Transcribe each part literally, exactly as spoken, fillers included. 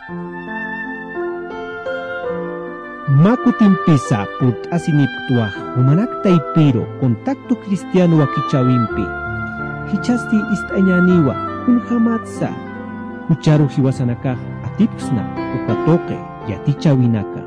Mä kutimpisa purt'asinipktwa jumanak taypiru Contacto Cristiano wakichäwimpi. Jichhasti ist'añäniwa kunjamatsa jucharu jiwasanakax atipksna uka tuqi yatichäwinaka.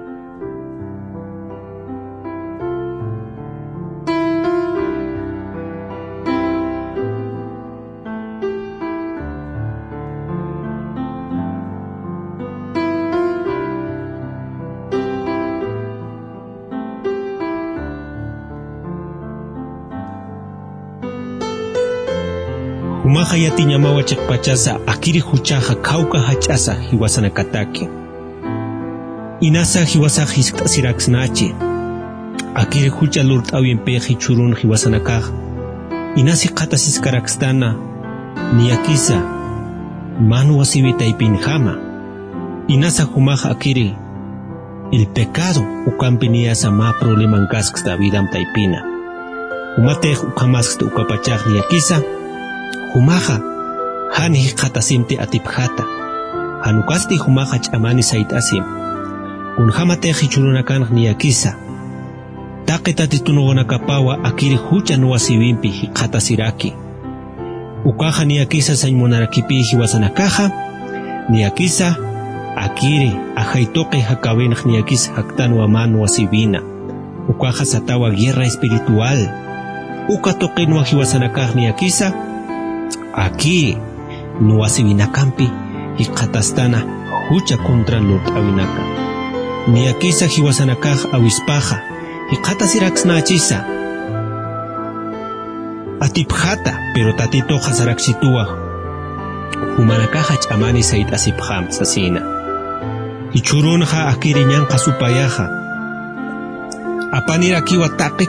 Jumaxa yatiñamawa chiqpachasa akiri juchaxa khawka jach'asa jiwasanakataki. Inasa jiwasax jiskt'asiraksnachi. Akiri jucha lurt'äwimpix jichhürun jiwasanakax inas jikxatasiskarakstana, niyakisa mä nuwasiwi taypinjama. Inasa jumax akiri el pecado ukampi niyasa mä problemankasksta vidam taypina. Jumatix ukhamasksta ukapachax niyakisa jumaxa jan jikxatasimti atipjata. Jan ukasti jumaxa ch'amani sayt'asim. Kunjamatix jichhürunakanx niyakisa taqi tatitunawanakapawa akiri jucha nuwasiwimpi jikxatasiraki. Ukaxa niyakisa sañ munarakipï jiwasanakaxa, niyakisa akiri ajay tuqi jakäwinx niyakisa jaktanwa mä nuwasiwina. Ukaxa satawa guerra espiritual. Uka tuqinwa jiwasanakax niyakisa akiri nuwasiwinakampi jikxatastana jucha contra lurt'äwinaka. Niyakisa jiwasanakax awispaxa jikxatasiraksnachisa atipjata, pero Tatituxa sarakchituwa jumanakaxa ch'amani sayt'asipxam sasina. Jichhürunxa akiri ñanqha supayaxa apanirakiwa taqi,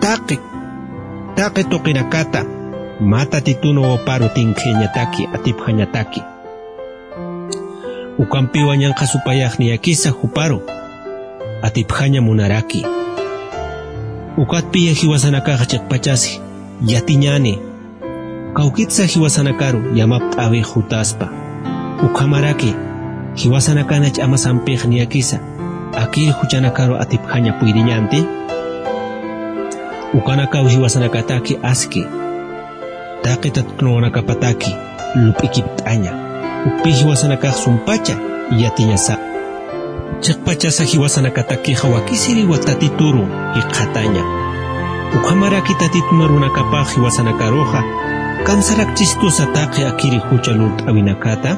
taqi, taqi tuqinakata mä Tatitun wawaparu tinkxañataki, atipxañataki. Ukampiwa ñanqha supayax niyakisa juparu atipxaña munaraki. Ukatpiya jiwasanakaxa chiqpachas yatiñäni, kawkitsa jiwasanakaru yamapt'äwix jutaspa. Ukhamaraki jiwasanakana ch'amasampix niyakisa akir juchanakaru atipxaña puyriñänti. Ukanakaw jiwasanakataki aski taqi tatitunawanakapataki lup'ikipt'aña. Ukpi jiwasanakax sumpacha yatiñasa. Chiqpachasa jiwasanakatakixa wakisiriwa Tatituru jikxataña. Ukhamaraki Tatitun arunakapax jiwasanakaruxa kamsarakchistusa taqi akiri jucha lurt'äwinakata.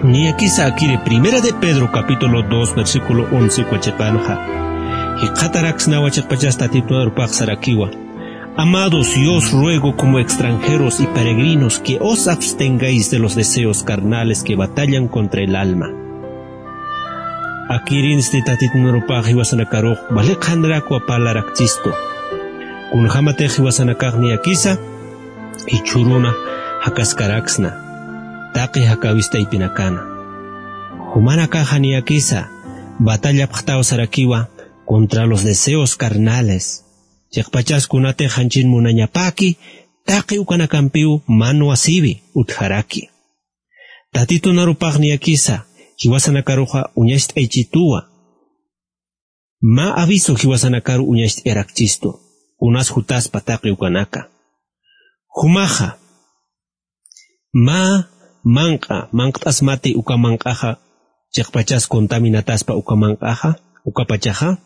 Niyakisa akiri Primera de Pedro capítulo dos versículo once uka chiqanxa jikxataraksnawa chiqpachas Tatitun arupax sarakiwa: Amados, yo os ruego como extranjeros y peregrinos que os abstengáis de los deseos carnales que batallan contra el alma. Akirinsti Tatitun arupax jiwasanakarux wali qhanrakwa parlarakchistu. Kunjämatix jiwasanakax niyakisa jichhüruna jakaskaraksna taqi jakäwis taypinakana. Jumanakaxa niyakisa batallapxtaw sarakiwa contra los deseos carnales. Chiqpachas kunatix janchin munañapäki taqi ukanakampiw mä nuwasiwi utjaraki. Tatitun arupax niyakisa jiwasanakaruxa uñacht'aychituwa. Mä aviso jiwasanakaru uñacht'ayarakchistu kunas jutaspa taqi ukanaka. Jumaxa mä manq'a, manqt'asmati uka manq'axa chiqpachas contaminataspa uka manq'axa, ukapachaxa.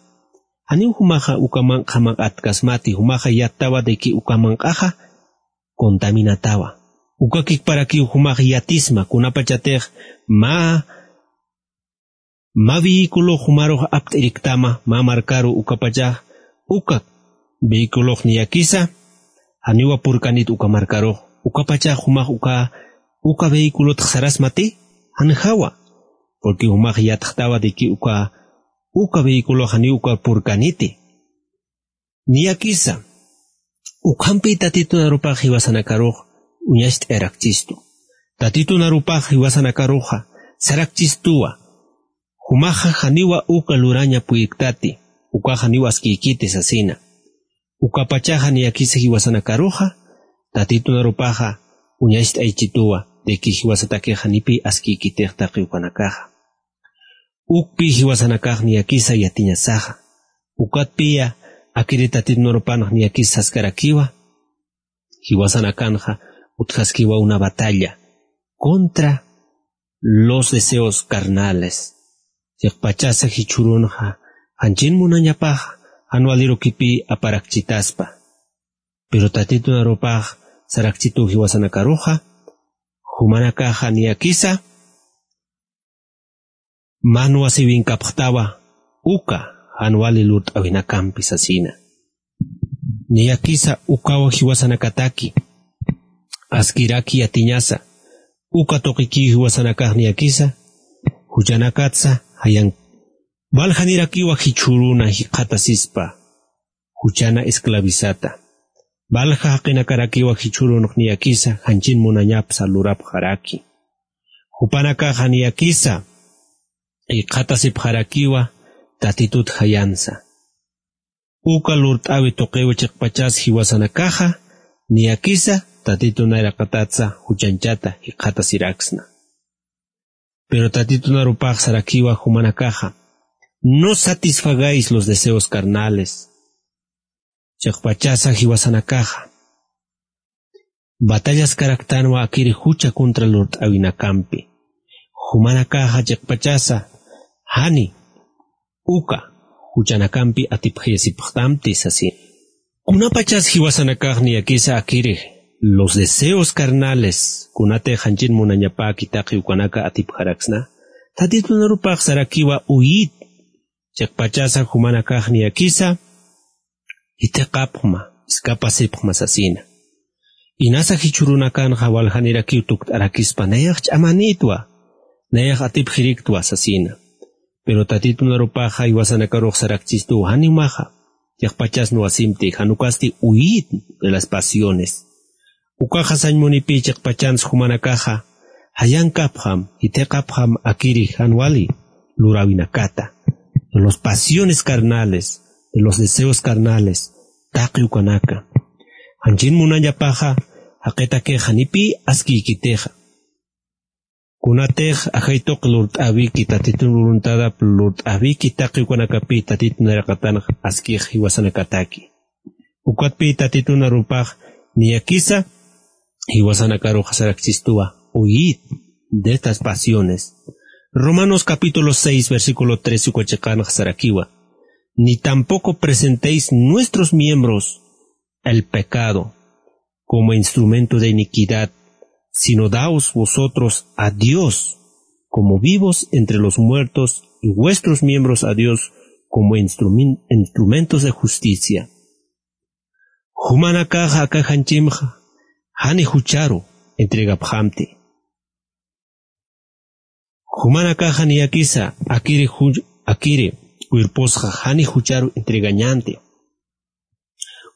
Janiw jumaxa uka manq'a manq'atkasmati, jumaxa yattawa de que uka manq'axa contaminatawa. Uka kikparakiw jumax yatisma kunapachatix mä mä vehículo jumarux apt'iriktama mä markaru ukapachax uka vehículox niyakisa janiwa purkanit uka markarux ukapachax jumax uka uka vehículotx sarasmati janjawa, porque jumax yatxtawa de que uka uka vehículox janiw uka purkaniti. Niyakisa ukhampi Tatitun arupax jiwasanakarux uñacht'ayarakchistu. Tatitun arupax jiwasanakaruxa sarakchistuwa. Jumaxa janiwa uka luraña puyktati, ukax janiw askiykiti sasina. Ukapachaxa niyakisa jiwasanakaruxa Tatitun arupaxa uñacht'aychituwa. de que jiwasatakixa nipi askïkitix taqi ukanakaxa. Ukpi jiwasanakax niyakisa yatiñasaxa. Ukatpiya akiri Tatitun arupanx niyakis saskarakiwa, jiwasanakanxa utjaskiwa una batalla contra los deseos carnales. Chiqpachasa jichhürunxa janchin munañapax jan walirukipï aparakchitaspa. Pero Tatitun arupax sarakchituw jiwasanakaruxa, jumanakaxa niyakisa man wasiwinkapxtawa uka jan wali lurt'äwinakampi sasina. Niyakisa ukaw jiwasanakataki askiraki yatiñasa, uka tuqikiw jiwasanakax niyakisa juchanakatsa jayan waljanirakiwa jichhüruna jikxatasispa juchana esclavizata. Valja jaqinakarakiwa jichhürunx niyakisa janchin munañapsa lurapxaraki. Jupanakaxa niyakisa jikxatasipxarakiwa Tatitut jayansa. Uka lurt'äwi tuqiw chiqpachas jiwasanakaxa niyakisa Tatitun nayraqatatsa juchanchata jikxatasiraksna. Pero Tatitun arupax sarakiwa jumanakaxa: "No satisfagáis los deseos carnales." Chiqpachasa jiwasanakaxa batallaskaraktanwa akiri jucha contra lurt'äwinakampi. Jumanakaxa chiqpachasa jani uka juchanakampi atipxayasipxtamti sasina. Kunapachas jiwasanakax niyakisa akiri los deseos carnales, kunatix janchin munañapäki taqi ukanaka atipxaraksna, Tatitun arupax sarakiwa: "Uyït." Chiqpachasa jumanakax niyakisa jithiqapxma, escapasipxma sasina. Inasa jichhürunakanxa waljanirakiw tukt'arakispa: "Nayax ch'amanïtwa, nayax atipxiriktwa" sasina. Pero Tatitun arupaxa jiwasanakarux sarakchistuw: "Janiw maxa, chiqpachas nuwasimti, jan ukasti uyït de las pasiones." Ukaxa sañ munipï chiqpachans jumanakaxa jayankapxam, jithiqapxam akiri jan wali luräwinakata, de los pasiones carnales, de los deseos carnales, taqi ukanaka. Janchin munañapaxa jaqitakixa janipï askïkitixa. Kunatix ajay tuqi lurt'äwiki, Tatitun voluntadap lurt'äwiki taqi ukanakapï Tatitun nayraqatanx askix jiwasanakataki. Ukatpï Tatitun arupax niyakisa jiwasanakarux sarakchistuwa: "Huid de estas pasiones." Romanos capítulo seis, versículo trece uka chiqanx sarakiwa: "Ni tampoco presentéis nuestros miembros al pecado como instrumento de iniquidad, sino daos vosotros a Dios como vivos entre los muertos, y vuestros miembros a Dios como instrumen-, instrumentos de justicia." Jumanakaxa aka janchimxa jani jucharu entregapxamti. Jumanakaxa niyakisa akiri ju-, akiri cuerposxa jani jucharu entregañanti.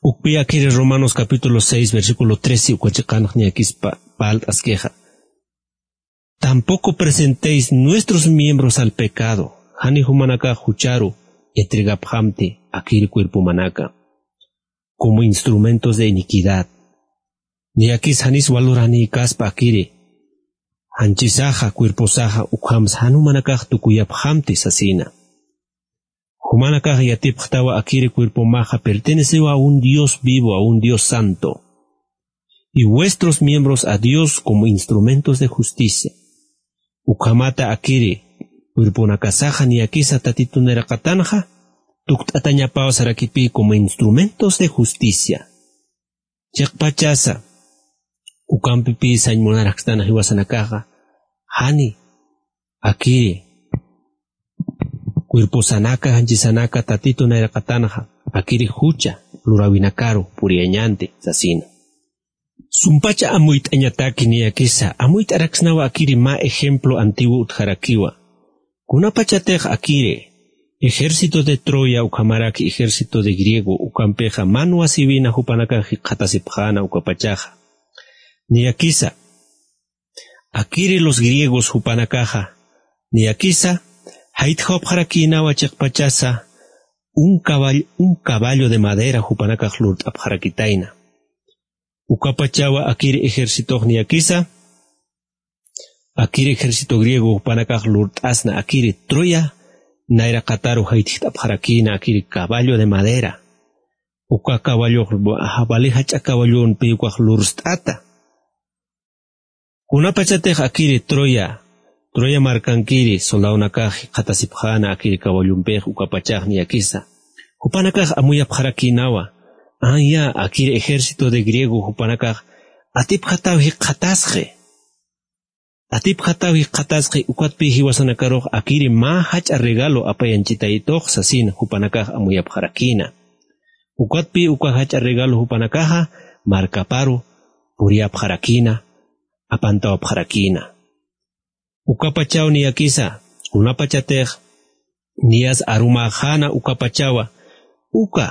Ukpi akiri Romanos capítulo seis, versículo trece uka chiqanx niyakispa parlt'askixa: "Tampoco presentéis nuestros miembros al pecado", jani jumanakax jucharu entregapxamti akiri cuerpomanaka, "como instrumentos de iniquidad". Niyakis janis waluranïkaspa akiri janchisaxa, cuerposaxa, ukhams jan jumanakax tukuyapxamti sasina. Jumanakax yatipxtawa akiri cuerpomaxa pertenecewa a un Dios vivo, a un Dios santo. "Y vuestros miembros a Dios como instrumentos de justicia." Ukhamata akiri cuerponakasaxa niyakisa Tatitun nayraqatanxa tukt'atañapaw sarakipï como instrumentos de justicia. Chiqpachasa ukampipï sañ munarakstan jiwasanakaxa jani akiri cuerposanaka, janchisanaka Tatitun nayraqatanxa akiri jucha luräwinakaru puriyañanti sasina. Sumpacha amuyt'añataki niyakisa, amuyt'araksnawa akiri mä ejemplo antiguo utjarakiwa. Kunapachatix akiri ejército de Troya ukhamaraki ejército de griego ukampixa man wasiwina jupanakax jikxatasipxäna ukapachaxa. Niyakisa akiri los griegos jupanakaxa niyakisa jaytjawapxarakïnawa chiqpachasa un caball-, un caballo de madera jupanakax lurt'apxarakitayna. Ukapachawa akiri ejercitox niyakisa Akiri ejército griego jupanakax lurt'asna akiri Troya nayraqataru jaytjt'apxarakïna akiri caballo de madera. Uka caballox vali jach'a caballompi ukax lurst'ata. Kunapachatix akiri Troya, Troya markankiri soldadonakax jikxatasipxäna akiri caballompix ukapachax niyakisa. Jupanakax amuyapxarakïnawa, aya, akiri ejército de griego jupanakax atipjataw jikxatasxi. Atipjataw jikxatasxi ukatpï jiwasanakarux akiri mä jach'a regalo apayanchitaytux sasin jupanakax amuyapxarakïna. Ukatpï uka jach'a regalo jupanakaxa markaparu puriyapxarakïna, apantawapxarakïna. Ukapachaw niyakisa, kunapachatix niyas arumäxäna ukapachawa, uka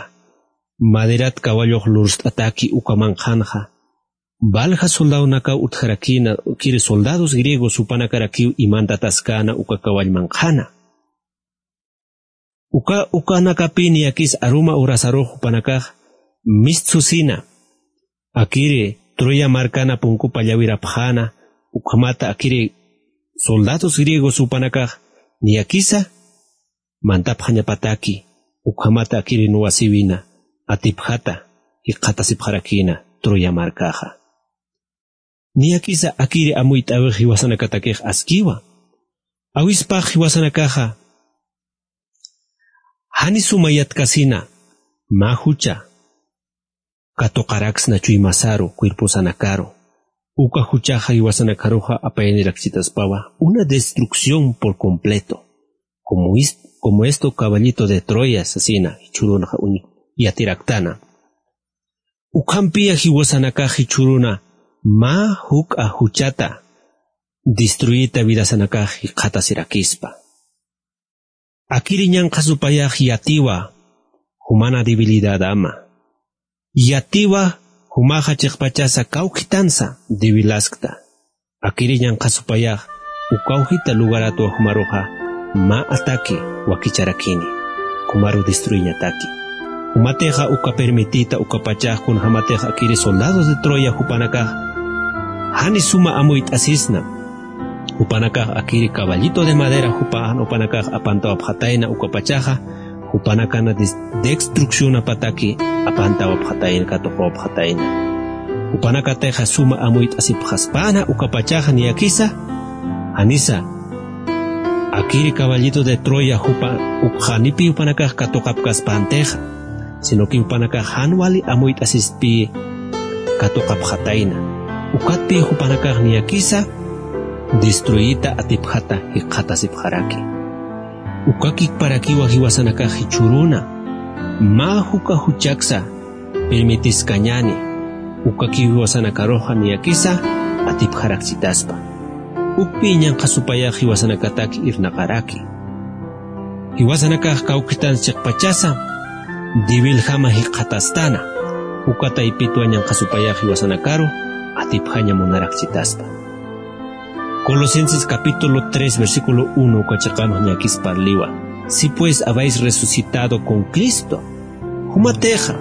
maderat caballox lurst'ataki uka manqhanxa, valja soldadonakaw utjarakïna, kiri soldados griegos jupanakarakiw imantataskäna uka cawall manqhana. Uka, ukanakapï niyakis aruma urasarux jupanakax mistsusina, akiri Troya markana punkupa llawirapxäna, ukhamata akiri soldados griegos jupanakax niyakisa mantapxañapataki, ukhamata akiri nuwasiwina atipjata jikxatasipxarakïna Troya markaxa. Niyakisa akiri amuyt'äwix jiwasanakatakix askiwa. Awispax jiwasanakaxa jani suma yatkasina mä jucha katuqaraksna chuymasaru, cuerposanakaru. Uka juchaxa jiwasanakaruxa apayanirakchitaspawa una destrucción por completo, como is-, como esto caballito de Troya sasina jichhürunxa uñ-, yatiraktana. Ukhampï jiwasanakax jichhüruna mä juk'a juchata destruyita vidasanakax jikxatasirakispa. Akiri ñanqha supayax yatiwa jumana debilidadama. Yatiwa jumaxa chiqpachasa kawkhitansa debilaskta. Akiri ñanqha supayax ukawjita lugaratwa jumaruxa mä ataki wakicharakini, jumaru destruiñataki. Jumatixa uka permitita ukapachax kunjamatixa akiri soldados de Troya jupanakax jani suma amuyt'asisna. Jupanakax akiri caballito de madera jupa, jupanakax apantawapxatayna ukapachaxa, jupanakana des-, destruccionapataki apantawapxatayna, katuqawapxatayna. Jupanakatixa suma amuyt'asipxaspäna ukapachaxa niyakisa, janisa akiri caballito de Troya jupa ukxanipi jupanakax katuqapkaspäntixa, sino que jupanakax jan wali amuyt'asispï katuqapxatayna. Ukatpï jupanakax niyakisa destruyita atipjata jikxatasipxaraki. Uka kikparakiwa jiwasanakax jichhüruna mä juk'a juchaksa permitiskañäni, ukakiw jiwasanakaruxa niyakisa atipjarakchitaspa. Ukpï ñanqha supayax jiwasanakatak irnaqaraki. Jiwasanakax kawkhitan chiqpachasa debiljama jikxatastana, uka taypitwa ñanqha supayax jiwasanakaru atipjaña munarakchitaspa. Colosenses capítulo tres, versículo uno uka chiqanx niyakis parliwa: Si pues habéis resucitado con Cristo, jumatixa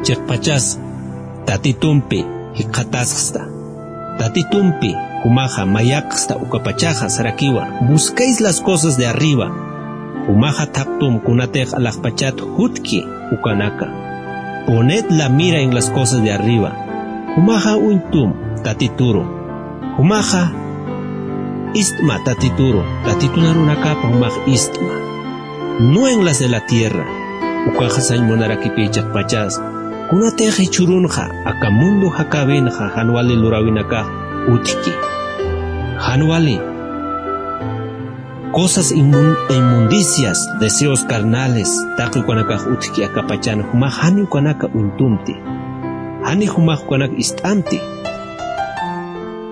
chiqpachas Tatitumpi jikxatasxsta, Tatitumpi jumaxa mayaqxsta ukapachaxa sarakiwa: Busquéis las cosas de arriba. Jumaxa thaqtum kunatix alaxpachat jutki ukanaka. Poned la mira en las cosas de arriba. Jumaxa uñtum Tatituru. Jumaxa ist'ma Tatituru, Tatitun arunakapa jumax ist'ma. No en las de la tierra. Ukaxa sañ munarakipï chiqpachas. Kunatix jichhürunxa aka mundo jakäwinxa jan wali luräwinakax utjki. Jan wali cosas inmun-, inmundicias, deseos carnales, taqi ukanakax utjki akapachan, jumax jani ukanaka uñtumti. Jani jumax ukanak ist'amti.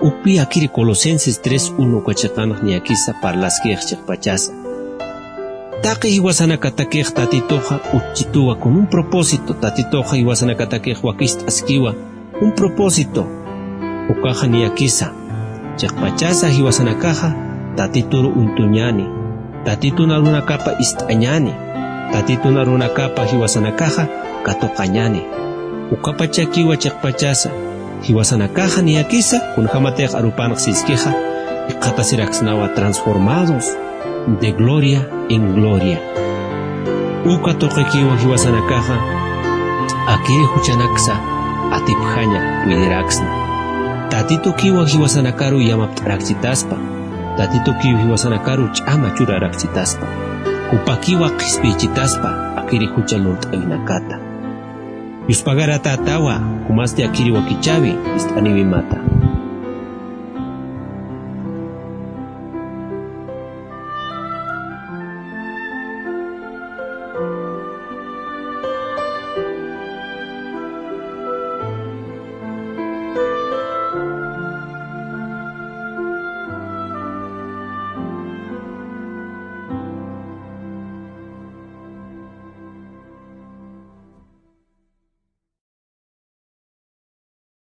Ukpï akiri Colosenses tres uno uka chiqanx niyakisa parlaskix chiqpachasa. Taqi jiwasanakatakix Tatituxa utjchituwa con un propósito, Tatituxa jiwasanakatakix wakicht'askiwa un propósito. Ukaxa niyakisa, chiqpachasa jiwasanakaxa Tatituru uñtuñäni, Tatitun arunakapa ist'añäni, Tatitun arunakapa jiwasanakaxa katuqañäni. Ukapachakiwa chiqpachasa jiwasanakaxa niyakisa, kunjamatix arupanx siskixa, Jikxatasiraksnawa transformados de gloria en gloria. Uka tuqikiwa jiwasanakaxa akiri juchanaksa atipjaña puyiraksna. Tatitukiwa jiwasanakaru yamapt'arakchitaspa. Tatitukiw jiwasanakaru ch'ama churararakchitaspa. Jupakiwa qhispiychitaspa akiri jucha lurt'awinakata. Yuspagarata atawa jumasti akiri wakichawi ist'aniwimata.